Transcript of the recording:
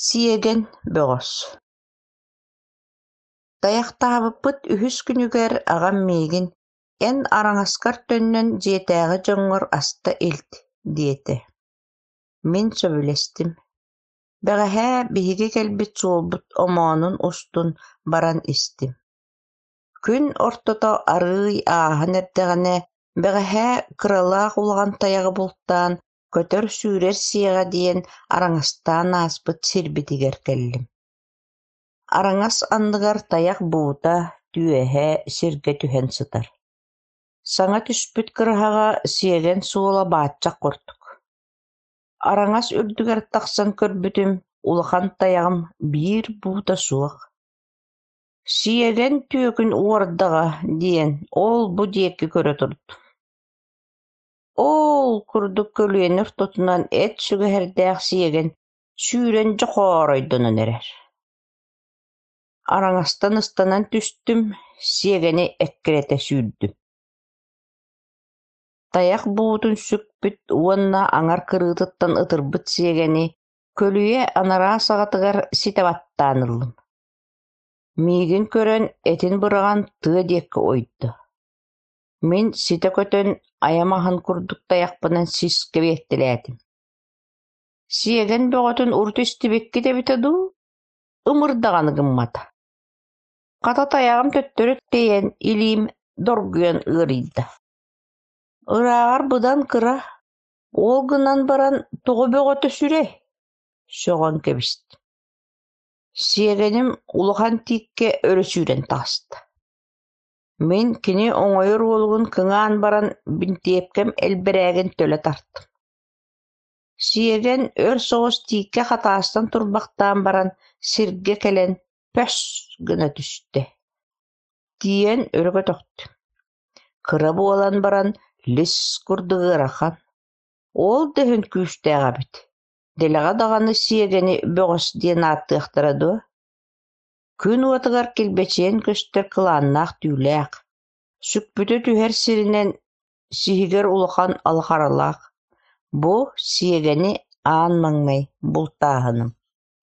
Сиэгэн бөҕөс Тайахтаабыппыт үһүс күнүгэр аҕам миигин: «Эн араҥаскар төннөн дьиэтээҕи дьоҥҥор аста илт» диэтэ. Мин сөбүлэстим. Бэҕэһээ биһиги кэлбит суолбут омоонун устун баран истим. Күн ортото арыый ааһан эрдэҕинэ, бэҕэһээ кыралаах улахан тайаҕы бултаан, көтөр-сүүрэр сиэҕэ диэн араҥастаан ааспыт сирбитигэр кэллим. Араҥас анныгар тайах буута, түөһэ сиргэ түһэн сытар. Саҥа түспүт кыраһаҕа сиэгэн суола бааччах курдук. Араҥас үрдүгэр тахсан көрбүтүм, улахан тайаҕым биир буута суох. Сиэгэн түөкүн уордаҕа диэн ол-бу диэки көрө турдум. Оол курдук көлүйэни ортотунан эт сүгэһэрдээх сиэгэн сүүрэн дьохооройдонон эрэр. Араҥастан ыстанан түстүм, сиэгэни эккирэтэ сүүрдүм. Тайах буутун сүкпүт уонна аҥар кырыытыттан ытырбыт сиэгэни көлүйэ анараа саҕатыгар ситэ баттаан ыллым. Миигин көрөн этин быраҕан тыа диэки ойдо. Мин ситэ көтөн айам аһын курдук тайахпынан сискэ биэртэлээтим. Сиэгэн бөҕөтүн урут истибиккит эбитэ дуу, ымыр даҕаны гыммата. Хата тайаҕым төттөрү тэйэн илиим доргуйан ыарыйда. Ырааҕар быдан кыра, ол гынан баран тоҕо бөҕөтө сүрэй, сөҕөн кэбистим. Сиэгэним улахан тииккэ өрө сүүрэн таҕыста. Мин кини оҥойор уолугун кыҥаан баран бинтиэпкэм элбэрээгин төлө тартым. Сиэгэн өр соҕус тииккэ хатаастан турбахтаан баран сиргэ кэлэн пөс гына түстэ. Тиийэн өрө көтөхтүм. Кыра буолан баран лис курдук ыарахан. Ол да иһин күүстээх эбит. Дэлэҕэ даҕаны сиэгэни бөҕөс диэн ааттыахтара дуо? Күн уотугар килбэчийэн көстөр кылааннаах түүлээх, сүкпүтэ түһэр сиринэн сиһигэр улахан алхаралаах. Бу сиэгэни аан маҥнай бултааһыным.